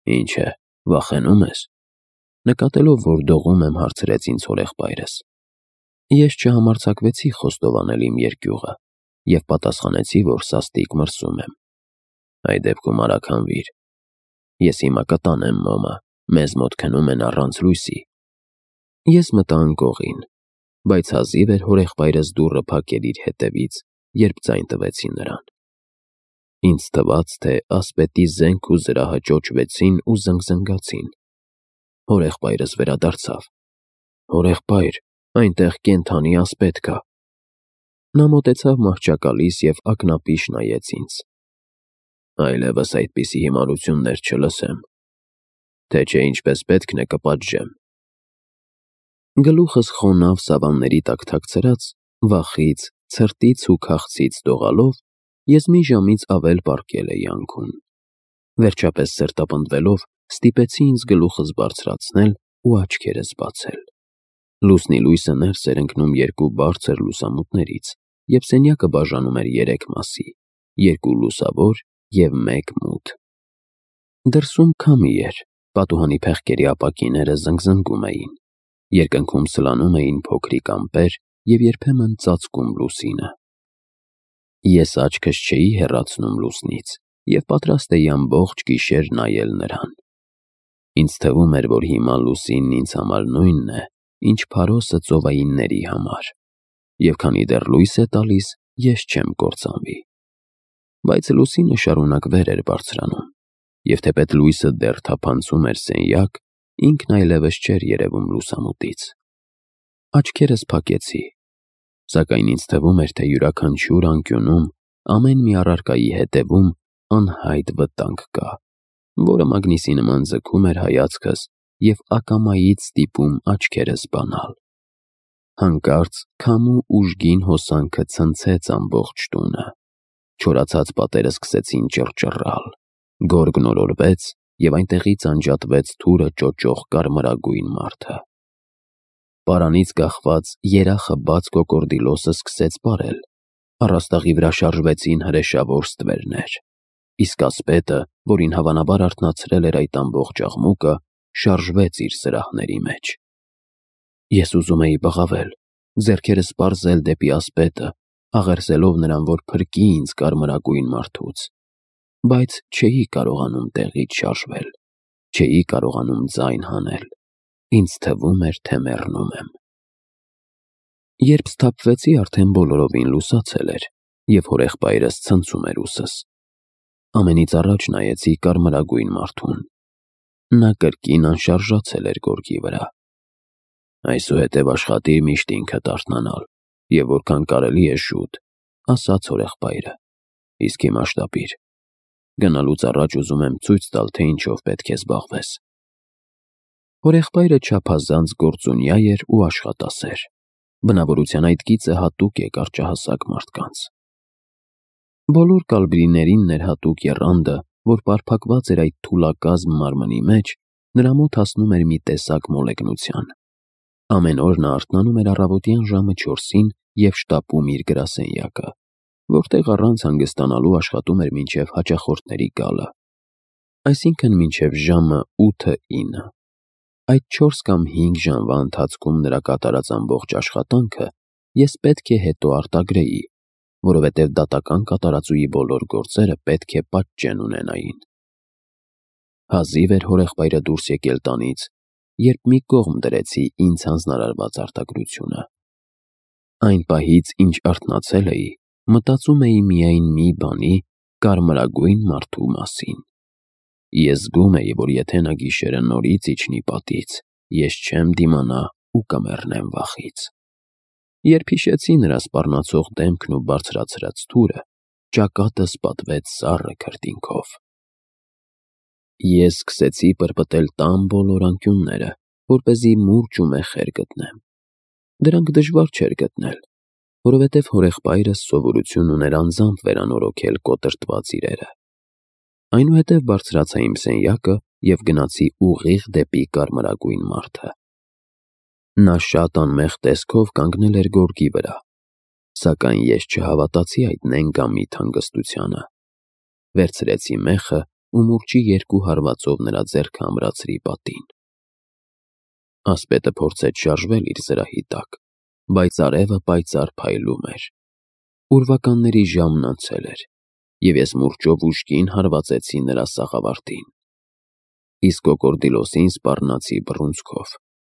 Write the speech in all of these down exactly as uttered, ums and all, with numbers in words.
Ինչ է, վախենում ես։ Նկատելով, որ դողում եմ, հարցրեց ինձ հորեղբայրս։ Ես չհամարձակվեցի խոստովանել իմ երկյուղը և պատասխանեցի, որ սաստիկ մրսում եմ։ Այդ դեպքում արագ հանվիր։ Ես հիմա կտանեմ մոմը, մեզ մոտ քնում են առանց լույսի։ Ես մտա անկողին, բայց հազիվ էր հորեղբայրս դուռը փակել իր հետևից, երբ ձայն տվեցի նրան։ Ինձ թվաց, թե ասպետի զենք ու զրահը ճոճվեցին ու զնգզնգացին։ Հորեղբայրս վերադարձավ։ Հորեղբայր, այնտեղ կենդանի ասպետ կա։ Նա մոտեցավ մահճակալիս և ակնապիշ նայեց ինձ։ Այլևս այդպիսի հիմարություններ չլսեմ, թե չէ ինչպես պետք է կպատժեմ։ Գլուխս խոնավ սավանների տակ թաքցրած, վախից, ցրտից ու քաղցից դողալով, ես մի ժամից ավել պառկել էի անկում։ Վերջապես սրտապնդվելով, ստիպեցի ինձ գլուխս բարձրացնել ու աչքերս բացել։ Լուսնի լույսը ներս էր ընկնում երկու բարձր լուսամուտներից, և սենյակը բաժանում էր երեք մասի՝ երկու լուսավոր և մեկ մութ։ Դրսում քամի էր, պատուհանի փեղկերի ապակիները զնգզնգում էին, երկնքում սլանում էին փոքրիկ ամպեր և երբեմն ծածկում լուսինը։ Ես աչքս չէի հեռացնում լուսնից և պատրաստ էի ամբողջ գիշեր նայել նրան։ Ինձ թվում էր, որ հիմա լուսինն ինձ համար նույնն է, ինչ փարոսը ծովայինների համար, և քանի դեռ լույս է տալիս, ես չեմ կործանվի։ Բայց լուսինը շարունակ վեր էր բարձրանում, և թեպետ լույսը դեռ թափանցում էր սենյակ, ինքն այլևս չէր երևում լուսամուտից։ Աչքերս փակեցի, սակայն ինձ թվում էր, թե յուրաքանչյուր անկյունում, ամեն մի առարկայի հետևում անհայտ վտանգ կա, որը մագնիսի նման ձգում էր հայացքս և ակամայից ստիպում աչքերս բանալ։ Հանկարծ քամու ուժգին հոսանքը ցնցեց ամբողջ տունը, չորացած պատերը սկսեցին ճռճռալ, գորգն օրորվեց, և այնտեղից անջատվեց թուրը ճոճող կարմրագույն մարդը։ Պարանից կախված երախը բաց կոկորդիլոսը սկսեց պարել, առաստաղի վրա շարժվեցին հրեշավոր ստվերներ, իսկ ասպետը, որին հավանաբար արթնացրել էր այդ ամբողջ աղմուկը, շարժվեց իր սրահների մեջ։ Ես ուզում էի բղավել, ձեռքերս պարզել դեպի ասպետը, աղերսելով նրան, որ փրկի ինձ կարմրագույն մարդուց, բայց չէի կարողանում տեղից շարժվել, չէի կարողանում ձայն հանել, ինձ թվում էր, թե մեռնում եմ։ Երբ սթափվեցի, արդեն բոլորովին լուսացել էր, և հորեղբայրս ցնցում էր ուսս։ Ամենից առաջ նայեցի կարմրագույն մարդուն։ Նա կրկին անշարժացել էր գորգի վրա։ Այսուհետև աշխատիր միշտ ինքդ արթնանալ, և որքան կարելի է շուտ, ասաց հորեղբայրը, իսկ հիմա շտապիր։ Գնալուց առաջ ուզում եմ ցույց տալ, թե ինչով պետք է զբաղվես։ Հորեղբայրը չափազանց գործունյա էր ու աշխատասեր։ Բնավորության այդ գիծը հատուկ է կարճահասակ մարդկանց։ Բոլոր կալբրիներին ներհատուկ եռանդը, որ պարփակված էր այդ թուլակազմ մարմնի մեջ, նրա մոտ հասնում էր մի տեսակ մոլեգնության։ Ամեն օր նա արթնանում էր առավոտյան ժամը չորսին և շտապում իր գրասենյակը, որտեղ առանց հանգստանալու աշխատում էր մինչև հաճախորդների գալը, այսինքն մինչև ժամը ութը ինը։ Այդ չորս կամ հինգ ժամվա ընթացքում նրա կատարած ամբողջ աշխատանքը ես պետք է հետո արտագրեի, որովհետև դատական կատարածուի բոլոր գործերը պետք է պատճեն ունենային։ Հազիվ էր հորեղբայրը դուրս եկել տանից, երբ մի կողմ դրեցի ինձ հանձնարարված արտագրությունը։ Այն պահից, ինչ արթնացել էի, մտածում էի միայն մի բանի՝ կարմրագույն մարդու մասին։ Ես զգում էի, որ եթե նա գիշերը նորից իջնի պատից, ես չեմ դիմանա ու կմեռնեմ վախից։ Երբ հիշեցի նրա սպառնացող դեմքն ու բարձրացրած թուրը, ճակատս պատվեց սառը քրտինքով։ Ես սկսեցի պրպտել տան բոլոր անկյունները, որպեսզի մուրճ ու մեխեր գտնեմ։ Դրանք դժվար չէր գտնել, որովհետև հորեղբայրս սովորություն ուներ անձամբ վերանորոգել կոտրտված իրերը։ Այնուհետև բարձրացա իմ սենյակը և գնացի ուղիղ դեպի կարմրագույն մարդը։ Նա շատ անմեղ տեսքով կանգնել էր գորգի վրա, սակայն ես չհավատացի այդ նենգամիտ հանգստությանը։ Վերցրեցի մեխը ու մուրճի երկու հարվածով նրա ձեռքը ամրացրի պատին։ Ասպետը փորձեց շարժվել իր զրահի տակ, բայց արևը պայծառ փայլում էր։ Ուրվականների ժամն անցել էր, և ես մուրճով ուժգին հարվածեցի նրա սաղավարտին։ Իսկ կոկորդիլոսին սպառնացի բռունցքով,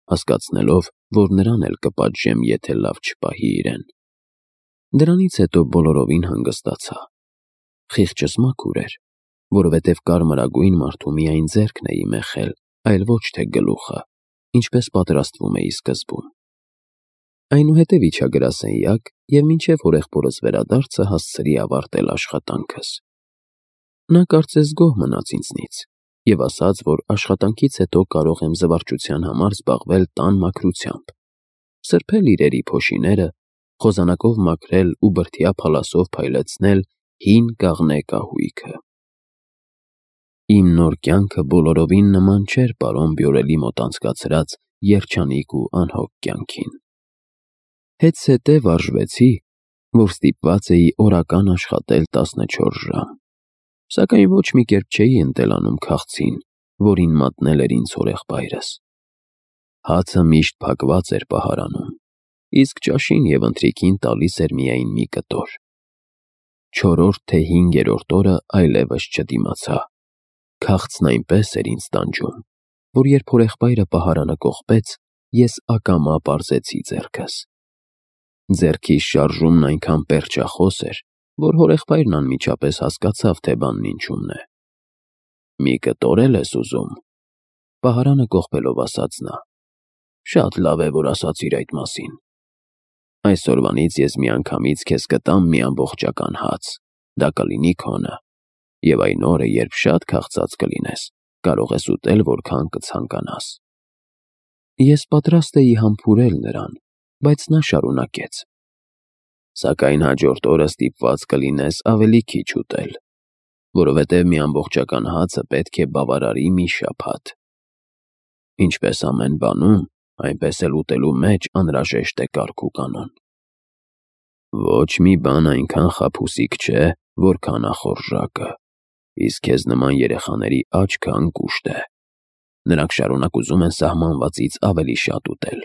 հասկացնելով, որ նրան էլ կպատժեմ, եթե լավ չպահի իրեն։ Դրանից հետո բոլորովին հանգստացա։ Խիղճս մաքուր էր, որովհետև կարմրագույն մարդու միայն ձեռքն էի մեխել, այլ ոչ թե գլուխը, ինչպես պատրաստվում էի սկզբում։ Այնուհետև իջա գրասենյակ և մինչև հորեղբորս վերադարձը հասցրի ավարտել աշխատանքս։ Նա կարծես գոհ մնաց ինձնից և ասաց, որ աշխատանքից հետո կարող եմ զվարճության համար զբաղվել տան մաքրությամբ, սրբել իրերի փոշիները, խոզանակով մաքրել ու բրդյա փալասով փայլեցնել հին կաղնե կահույքը։ Իմ նոր կյանքը բոլորովին նման չէր պարոն Բյորելի մոտ անցկացրած երջանիկ ու անհոգ կյանքին։ Հետզհետե վարժվեցի, որ ստիպված էի օրական աշխատել տասնչորս ժամ, սակայն ոչ մի կերպ չէի ընտելանում քաղցին, որին մատնել էր ինձ հորեղբայրս։ Հացը միշտ փակված էր պահարանում, իսկ ճաշին և ընթրիքին տալիս էր միայն մի կտոր։ Չորրորդ թե հինգերորդ օրը այլևս չդիմացա։ Քաղցն այնպես էր ինձ տանջում, որ երբ հորեղբայրը պահարանը կողպեց, ես ակամա պարզեցի ձեռքս։ Ձեռքիս շարժումն այնքան պերճախոս էր, որ հորեղբայրն անմիջապես հասկացավ, թե բանն ինչումն է։ «Մի կտոր էլ ես ուզում», պահարանը կողպելով ասաց նա։ «Շատ լավ է, որ ասացիր այդ մասին։ Այսօրվանից ես միանգամից քեզ կտամ մի ամբողջական հաց, դա կլինի քոնը, և այն օրը, երբ շատ քաղցած կլինես, կարող ես ուտել որքան կցանկանաս»։ Ես պատրաստ էի համբուրել նրան, բայց նա շարունակեց. «Սակայն հաջորդ օրը ստիպված կլինես ավելի քիչ ուտել, որովհետև մի ամբողջական հացը պետք է բավարարի մի շաբաթ։ Ինչպես ամեն բանում, այնպես էլ ուտելու մեջ անհրաժեշտ է կարգ ու կանոն։ Ոչ մի բան այնքան խաբուսիկ չէ, որքան ախորժակը, իսկ քեզ նման երեխաների աչքը անկուշտ է։ Նրանք շարունակ ուզում են սահմանվածից ավելի շատ ուտել։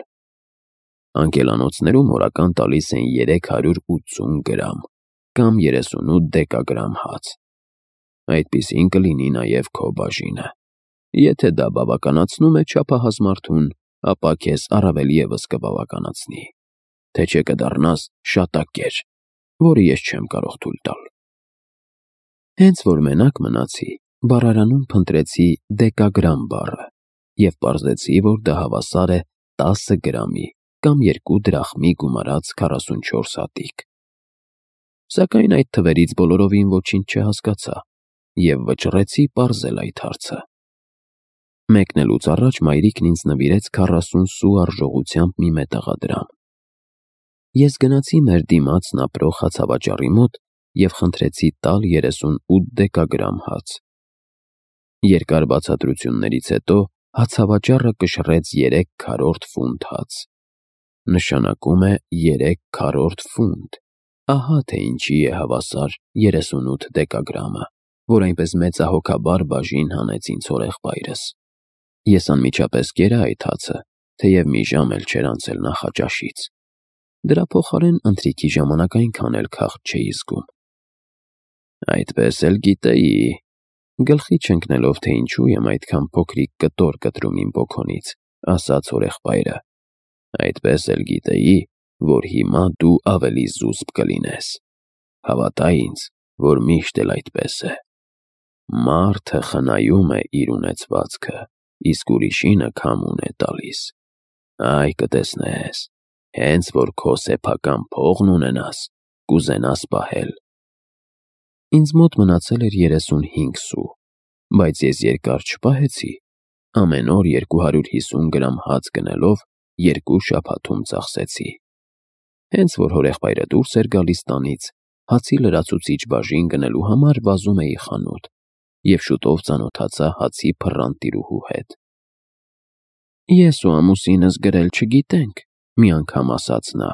Անկելանոցներում օրական տալիս են երեք հարյուր ութսուն գրամ կամ երեսունութ դեկագրամ հաց։ Այդպիսին կլինի նաև քո բաժինը։ Եթե դա բավականացնում է չափահաս մարդուն, ապա քեզ առավել ևս կբավականացնի, թե չէ կդառնաս շատակեր, որը ես չեմ կարող թույլ տալ»։ Հենց որ մենակ մնացի, բառարանում փնտրեցի դեկագրամ բառը և պարզեցի, որ դա հավասար է տասը գրամի կամ երկու դրախմի գումարած քառասունչորս հատիկ։ Սակայն այդ թվերից բոլորովին ոչինչ չհասկացա և վճռեցի պարզել այդ հարցը։ Մեկնելուց առաջ մայրիկն ինձ նվիրեց քառասուն սու արժողությամբ մի մետաղադրամ։ Ես գնացի մեր դիմացն ապրող հացավաճառի մոտ և խնդրեցի տալ երեսունութ դեկագրամ հաց։ Երկար բացատրություններից հետո հացավաճառը կշռեց երեք քառորդ ֆունտ հաց։ Նշանակում է երեք քառորդ ֆունտ։ Ահա թե ինչի է հավասար երեսունութ դեկագրամը, որ այնպես մեծահոգաբար բաժին հանեց ինձ հորեղբայրս։ Ես անմիջապես կերա այդ հացը, թեև մի ժամ էլ չէր անցել նախաճաշից։ Դրա փոխարեն ընթրիքի ժամանակ այնքան էլ քաղց չէի զգում։ Այդպես էլ գիտեի, գլխի չընկնելով, թե ինչու եմ այդքան փոքրիկ կտոր կտրում իմ պոքոնից, ասաց հորեղբայրը, այդպես էլ գիտեի, որ հիմա դու ավելի զուսպ կլինես։ Հավատա ինձ, որ միշտ էլ այդպես է։ Մարդը խնայում է իր ունեցվածքը, իսկ ուրիշինը քամուն է տալիս։ Այ կտեսնես, հենց որ քո սեփական փողն ունենաս, կուզենաս պահել։ Ինձ մոտ մնացել էր երեսունհինգ սու, բայց ես երկար չպահեցի, ամեն օր երկու հարյուր հիսուն գրամ հաց գնելով երկու շաբաթում ծախսեցի։ Հենց որ հորեղբայրը դուրս էր գալիս տանից, հացի լրացուցիչ բաժին գնելու համար վազում էի խանութ և շուտով ծանոթացա հացի փռան տիրուհու հետ։ «Ես ու ամուսինս գրել չգիտենք», մի անգամ ասաց նա,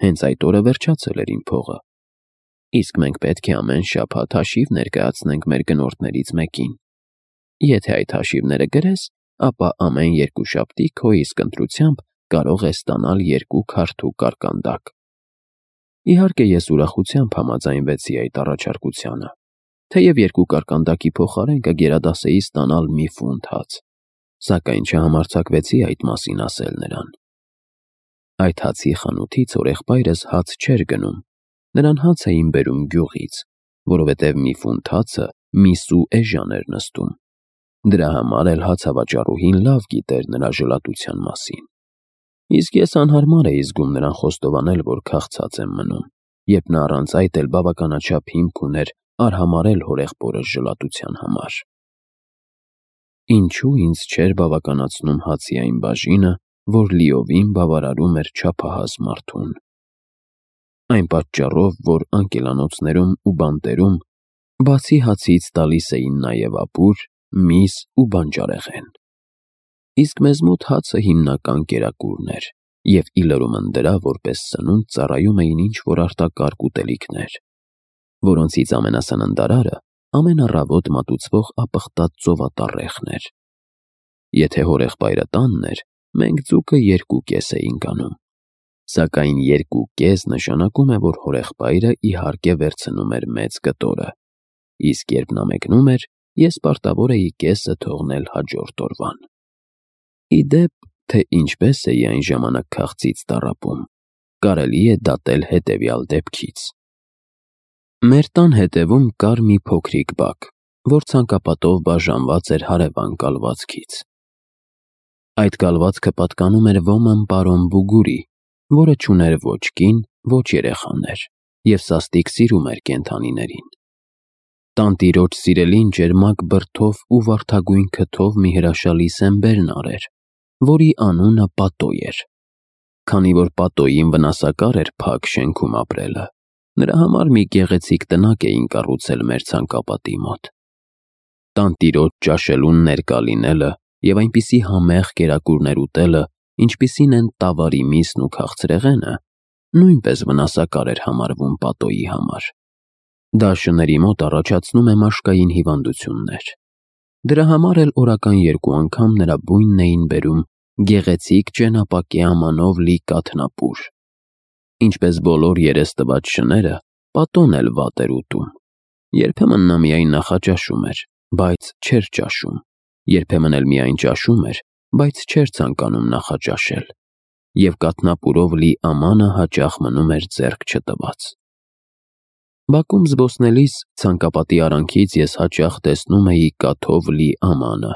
հենց այդ օրը վերջացել էր իմ փողը, «իսկ մենք պետք է ամեն շաբաթ հաշիվ ներկայացնենք մեր գնորդներից մեկին, եթե այդ հաշիվները գրես, ապա ամեն երկուշաբթի քո իսկ ընտրությամբ կարող ես ստանալ երկու քարթու կարկանդակ։ Իհարկե ես ուրախությամբ համաձայնվեցի այդ առաջարկությանը, թեև երկու կարկանդակի փոխարեն կգերադասեի ստանալ մի ֆունտ հաց, սակայն չհամարձակվեցի այդ մասին ասել նրան։ Այդ հացի խանութից հորեղբայրս հաց չէր գնում, նրան հաց էին բերում գյուղից, որովհետև մի ֆունտ հացը մի սու էժան էր նստում։ Դրա համար էլ հացավաճառուհին լավ գիտեր նրա ժլատության մասին։ Իսկ ես անհարմար էի զգում նրան խոստովանել, որ քաղցած եմ մնում, երբ նա առանց այդ էլ բավականաչափ հիմք ուներ արհամարհել հորեղբորս ժլատության համար։ Ինչու ինձ չէր բավականացնում հացի այն բաժինը, որ լիովին բավարարում էր չափահաս մարդուն։ Այն պատճառով, որ անկելանոցներում ու բանտերում բացի հացից տալիս էին նաև ապուր, միս ու բանջարեղեն։ Իսկ մեզ մոտ հացը հիմնական կերակուրն էր, և ի լրումն դրա որպես սնունդ ծառայում էին ինչ-որ արտակարգ ուտելիքներ, որոնցից ամենասննդարարը ամեն առավոտ մատուցվող ապխտած ծովատառեխն էր։ Եթե հորեղբայրը տանն էր, մենք ձուկը երկու կես էինք անում, սակայն երկու կես նշանակում է, որ հորեղբայրը իհարկե վերցնում էր մեծ կտորը, իսկ երբ նա մեկնում էր, ես պարտավոր էի կեսը թողնել հաջորդ օրվան։ Ի դեպ, թե ինչպես էի այն ժամանակ քաղցից տառապում, կարելի է դատել հետևյալ դեպքից։ Մեր տան հետևում կար մի փոքրիկ բակ, որ ցանկապատով բաժանված էր հարևան կալվածքից։ Այդ կալվածքը պատկանում էր ոմն պարոն Բուգուրի, որը չուներ ոչ կին, ոչ երեխաներ, և սաստիկ սիրում էր կենդանիներին։ Տանտիրոջ սիրելին ջերմակ բրդով ու վարդագույն քթով մի հրաշալի սեմբերնար էր, որի անունը Պատո էր։ Քանի որ Պատոյին վնասակար էր փակ շենքում ապրելը, նրա համար մի գեղեցիկ տնակ էին կառուցել մեր ցանկապատի մոտ։ Տանտիրոջ ճաշելուն ներկա լինելը և այնպիսի համեղ կերակուրներ ուտելը, ինչպիսին են տավարի միսն ու քաղցրեղենը, նույնպես վնասակար էր համարվում Պատոյի համար։ Դա շների մոտ առաջացնում է մաշկային հիվանդություններ։ Դրա համար էլ օրական երկու անգամ նրա բույնն էին բերում գեղեցիկ ճենապակյա ամանով լի կաթնապուր։ Ինչպես բոլոր երեստված շները, Պատոն էլ վատ էր ուտում։ Երբեմն նա միայն նախաճաշում էր, բայց չէր ճաշում, երբեմն էլ միայն ճաշում էր, բայց չէր ցանկանում նախաճաշել, և կաթնապուրով լի ամանը հաճախ մնում էր ձեռք չտված։ Բակում զբոսնելիս ցանկապատի արանքից ես հաճախ տեսնում էի կաթով լի ամանը,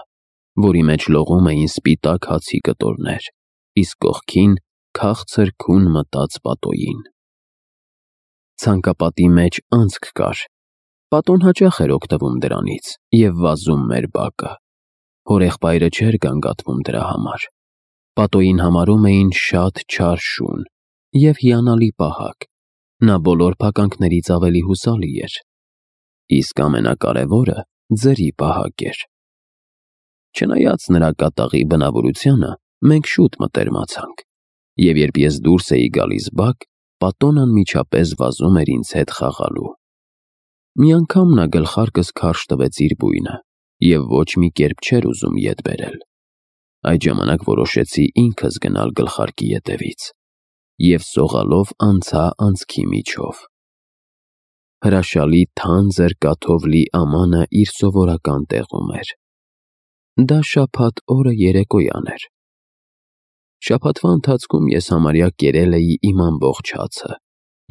որի մեջ լողում էին սպիտակ հացի կտորներ, իսկ կողքին քաղցր քուն մտած Պատոյին։ Ցանկապատի մեջ անցք կար։ Պատոն հաճախ էր օգտվում դրանից և վազում մեր բակը։ Հորեղբայրը չէր գանգատվում դրա համար։ Պատոյին համարում էին շատ չար շուն և հիանալի պահակ, նա բոլոր փականքներից ավելի հուսալի էր, իսկ ամենակարևորը ձրի պահակ էր։ Չնայած նրա կատաղի բնավորությանը, մենք շուտ մտերմացանք, և երբ ես դուրս էի գալիս բակ, Պատոն անմիջապես վազում էր ինձ հետ խաղալու։ Մի անգամ նա գլխարկս քարշ տվեց իր բույնը և ոչ մի կերպ չէր ուզում ետ բերել։ Այդ ժամանակ որոշեցի ինքս գնալ գլխարկի ետևից և սողալով անցա անցքի միջով։ Հրաշալի թանձր կաթով լի ամանը իր սովորական տեղում էր։ Դա շաբաթ օրը երեկոյան էր։ Շաբաթվա ընթացքում ես համարյա կերել էի իմ ամբողջ հացը,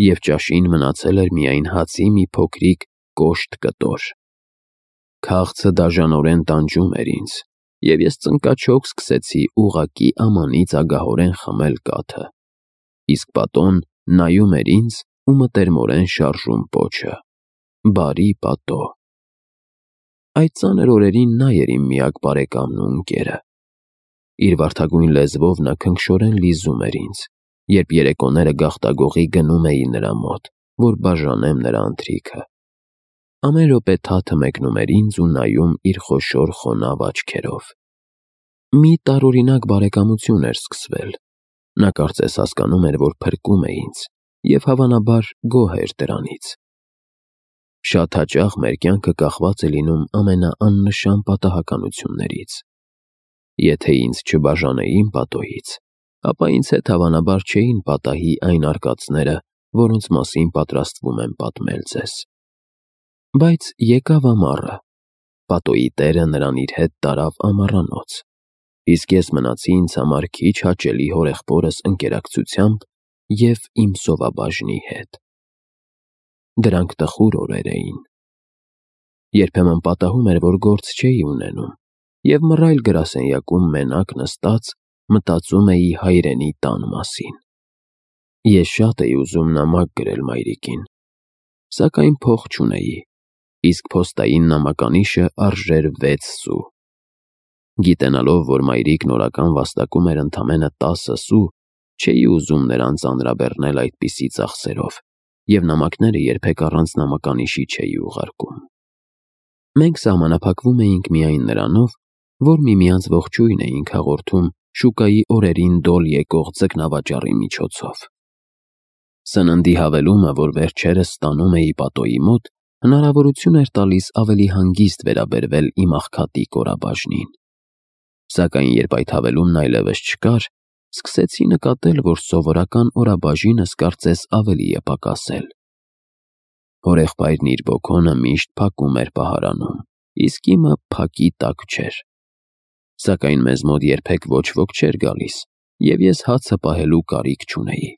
և ճաշին մնացել էր միայն հացի մի փոքրիկ կոշտ կտոր։ Քաղցը դաժանորեն տանջում էր ինձ, և ես ծնկաչոք սկսեցի ուղղակի ամանից ագահորեն խմել կաթը, իսկ Պատոն նայում էր ինձ ու մտերմորեն շարժում պոչը. «Բարի Պատո»։ Այդ ծանր օրերին նա էր իմ միակ բարեկամն ու ընկերը։ Իր վարդագույն լեզվով նա քնքշորեն լիզում էր ինձ, երբ երեկոները գաղտագողի գնում էի նրա մոտ, որ բաժանեմ նրա ընթրիքը։ Ամեն րոպե թաթը մեկնում էր ինձ ու նայում իր խոշոր խոնավ աչքերով։ Մի տարօրինակ բարեկամություն էր սկսվել։ Նա կարծես հասկանում էր, որ փրկում է ինձ, և հավանաբար գոհ էր դրանից։ Շատ հաճախ մեր կյանքը կախված է լինում ամենաաննշան պատահականություններից։ Եթե ինձ չբաժանեին պատոհից, ապա ինձ հետ հավանաբար չէին պատահի այն արկածները, որոնց մասին պատրաստվում եմ պատմել ձեզ։ Բայց եկավ ամառը, պատոյի տերը նրան իր հետ տարավ ամառանոց, իսկ ես մնացի ինձ համար քիչ հաճելի հորեղբորս ընկերակցությամբ և իմ սովաբաժնի հետ։ Դրանք տխուր օրեր էին։ Երբեմն պատահում էր, որ գործ չէի ունենում, և մռայլ գրասենյակում մենակ նստած մտածում էի հայրենի տան մասին։ Ես շատ էի ուզում նամակ գրել մայրիկին, սակայն փող չունեի, իսկ փոստային նամականիշը արժեր վեց սու։ Գիտենալով, որ մայրիկն օրական վաստակում էր ընդամենը տասը սու, չէի ուզում նրան ծանրաբեռնել այդպիսի ծախսերով և նամակները երբեք առանց նամականիշի չէի ուղարկում։ Մենք սահմանափակվում էինք միայն նրանով, որ միմյանց ողջույն էինք հաղորդում շուկայի օրերին դոլ եկող ձկնավաճառի միջոցով։ Սննդի հավելումը, որ վերջերս ստանում էի պատոյի մոտ, հնարավորություն էր տալիս ավելի հանգիստ վերաբերվել իմ աղքատիկ օրաբաժնին։ Սակայն երբ այդ հավելումն այլևս չկար, սկսեցի նկատել, որ սովորական օրաբաժինս կարծես ավելի է պակասել։ Հորեղբայրն իր բոքոնը միշտ փակում էր պահարանում, իսկ իմը փակի տակ չէր։ Սակայն մեզ մոտ երբեք ոչ ոք չէր գալիս, և ես հացը պահելու կարիք չունեի։